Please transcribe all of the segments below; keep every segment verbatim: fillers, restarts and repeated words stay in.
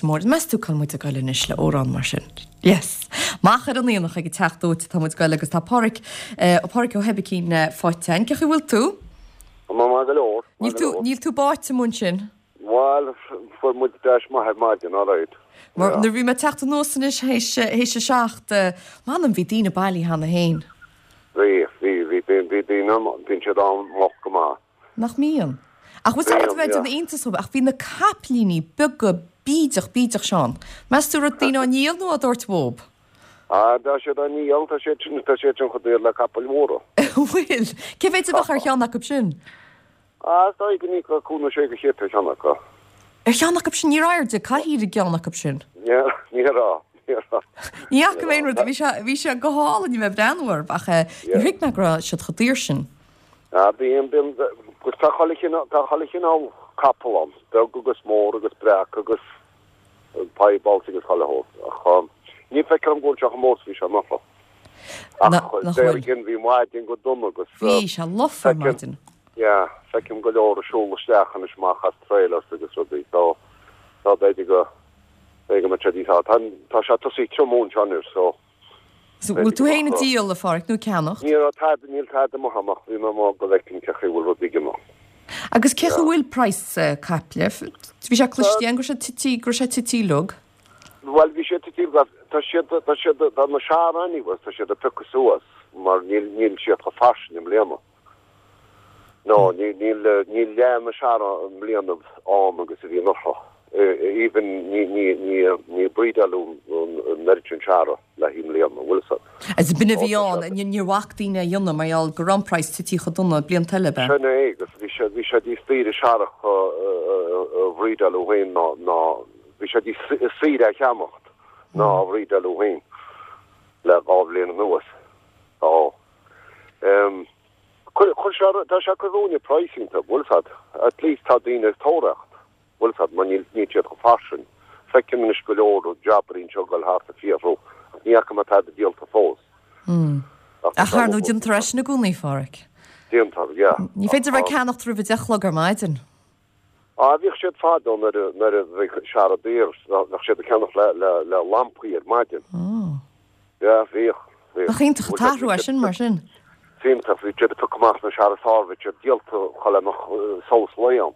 Leitir Móir. Meas tú cá bhfuil muid ag goil anois le amhrán mar sin. Yes. Amach ar an aonach ag an teach dóite tá muid ag goil agus tá Páraic uh, Páraic Ó hOibicín uh, faighte. Cén chaoi bhfuil tú? Má go leor. Níl tú níl tú báite mar sin? Well, fuair muid deis maith ar maidin, all right. Mar nuair bhí mé ag teacht anuas anois théis théis a seacht m'anam bhí daoine bailithe cheana féin. Bhí bhí bhí bhí bhí daoine bíonn siad ann moch go maith. Nach mbíonn. Ach was Bhíonn, bheith yeah. an iontas ach bhí na capaillíní beaga bídeach bídeach Seán. Meas tú raibh daoine á ndíol nó á dtabhairt uathu? Ah, tá siad á ndíol, tá siad sin tá siad sin chomh daor le capaill mhóra. Bhfuil, cé mhéad a bheadh ar cheann acu sin? Ah, tá go ní go cúna sé go chéad ar cheann acu. Ar cheann acu sin ní airde cathaoir i gceann acu sin. Ní ní rá, ní rá. Ní fhaca mé aon rud bhí sé bhí sé go hálainn bheith breathnú ach eh, ní thuig mé go raibh siad chomh daor sin. Ah, bíonn bíonn gus tá chuile chineál tá chuile chineál capall ann, beag agus mór agus breac agus piebalds agus chuile shórt. Ach um, ní feicim go bhfuil sé chomh mór is bhí sé anuraidh. Na- Ach nach déar bhfuil. gin bhí maidin go dona agus Bhí sé lofa feicim- maidin. Yeah, feicim go leor ag siúl isteach anois amach as trailers agus rudaí so tá b'fhéidir go b'fhéidir go mbeidh sé tá tá tá sé tosaithe triomú anseo so So bhfuil tú féin ag díol a Pháraic nó ceannacht? ní raibh tada níl tada mo amach bhí mé má go bhfeicfinn cén chaoi bhfuil rudaí ag imeacht. Agus cé bhfuil price uh, caiple? Bhí sé cloiste go raibh sé tite go raibh sé tite lug. Well bhí sé tite tá siad tá siad tá na searání was tá siad ag piocadh suas mar níl níl siad chomh fairsing i mbliana. No, níl níl níl leath na seara i mbliana ann agus a bhí anuraidh. Even ní ní ní ní breedáladh an oiread sin seara le i mbliana bhfuil sa. As binne bhí an níor bhac daoine a dhéanamh mar gheall go raibh an price tite chomh dona blianta eile be. Sin é agus bhí sé bhí sé níos daoire searach a bhreedáladh féin ná ná bhí sé níos saoire a cheannacht ná a bhreedáladh féin le dhá bhliain anuas. Tá um, chuir chuir sé tá sé chuir pricing tá bhfuil sad at least tá daoine ag tóraíocht bhfuil sad mar níl níl siad chomh fairsing. Feicim anois go leor jabairín seo gal thart ag fiafrú ach ní fhaca mé tada díolta fós. Ach Ach ar nó déantar é sin i gcónaí Pháraic. Déantar, yeah. Ní féidir bheith ceannacht roimh a deich a chlog ar maidin. Á bhíodh siad fadó nuair a nuair a bhí seara daor bheadh siad ag ceannach le le le lampaí ar maidin. Ja, bhíodh. bhíodh. Nach iontach an t-athrú é sin mar sin. Iontach bhí siad ag piocadh amach na seara sár bhí siad díolta chuile mbeadh solas lae ann.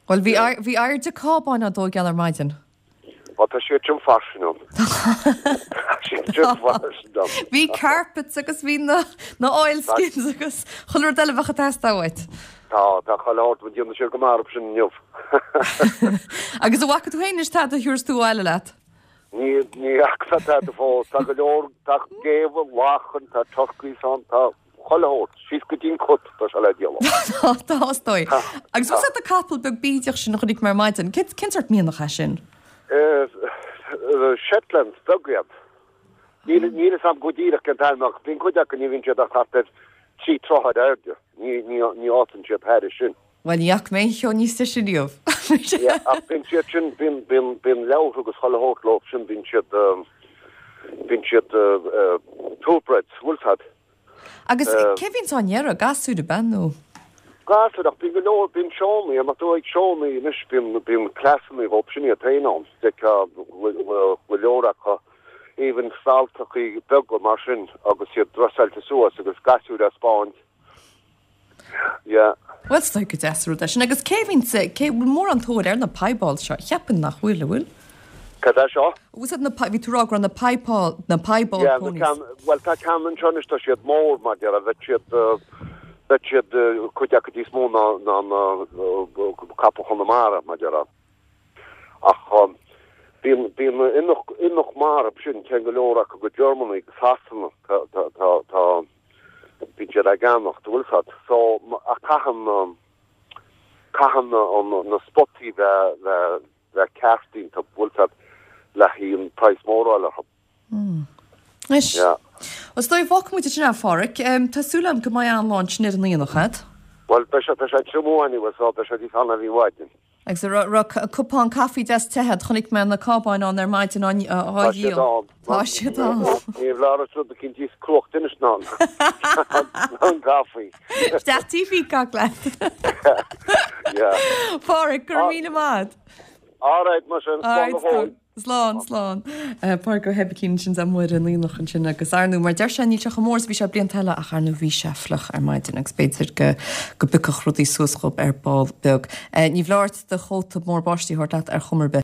Well bhí air- bhí airde cábáin á dtógáil ar maidin. Bhí tá siad sin fairsing ann. Tá siad sin fairsing ann. Bhí carpets agus bhí na na oilskins agus chuile rud eile bheadh ag teastáil uait. Tá tá chuile shórt bhí déanamh siad go marb sin inniu. Agus an bhfaca tú féin anois tada a thabharfas tú abhaile leat. Ní ní fhaca tada fós tá go leor tá géabha lachan tá turkeys ann tá chuile shórt síos go dtí'n cut tá sé le díol. Tá dóigh. Agus was na capall beag bídeach sin a chonaic mé ar maidin, cén cén sórt mianach é sin? Shetland beag iad. Níl níl a fhios agam go díreach cén t-ainm ach bíonn cuid acu ní bhíonn siad ach thart ar trí troithe ar airde. Ní ní ní fhásann siad thairis sin. Well ní fhaca mé cheo níos te sin riamh. Yeah, ach bíonn siad sin bíonn bíonn bíonn leabhar agus chuile shórt leo sin bíonn siad um, bíonn siad uh, uh, purebreds, bhfuil sad. Agus cé bhíonn á ndéarradh gasúir ben nó? Gasúir ach bíonn go leor bíonn seónna, amach tú ag seónna anois bíonn bíonn cleasanna dhóibh sin iad féin ann. De go leor acu even stalltachaí beaga mar sin agus iad dressáilte suas agus gasúir á spáint. Yeah. Well stoi go deas rud é sin agus cé bhíonn cé bhfuil mór an tóir ar na piebald seo cheapaim nach bhfuil a bhfuil. Cad é seo? Was na bhí tú rá na piebald na piebald Yeah, na ponies. ceann, well tá ceann anseo anois tá siad mór mar deir a bheith siad uh, bheith siad uh, cuid acu níos mó ná ná na uh, capall Chonamara mar deir ach um, bíonn bíonn imeacht imeacht mar sin ceann go leor acu go Germany go Sasana tá tá tá tá bíonn siad ag ceannacht bhfuil sad so ma- ach caitheann um, caitheann na an- na spotaí bheith bheith bheith ceartín tá bhfuil sad le haghaidh an price mór eile. Is. Yeah. Os dóigh bhfuil muid sin a Pháraic, um, Tá súil agam go mbeidh an-lá ansin ar an aonach agat. Well beidh sé beidh sé triomú so beidh sé níos anna bhí maidin. Agus raibh cupán caife deas te agat chonaic mé na cábáin ann ar maidin á Tá siad dhíol. ann. Tá siad ann. Ní bhlára rud cinn díos cruach duine ná an caife. Deachtaí fi gach le. Yeah. Páraic go míle maith. All right, mar sin, slán go fóill. Slán, slán. Pádraig Ó hOibicín sin as Muire an Aonach ansin agus ar ndóigh mar deir sé níl sé chomh mór is bhí sé blianta eile ach ar ndóigh bhí sé fliuch ar maidin agus b'fhéidir go go bpiocfadh rudaí suas dhób ar ball beag. Ní bhleá ort do chóta mór báistí a thabhairt leat ar chuma ar bith.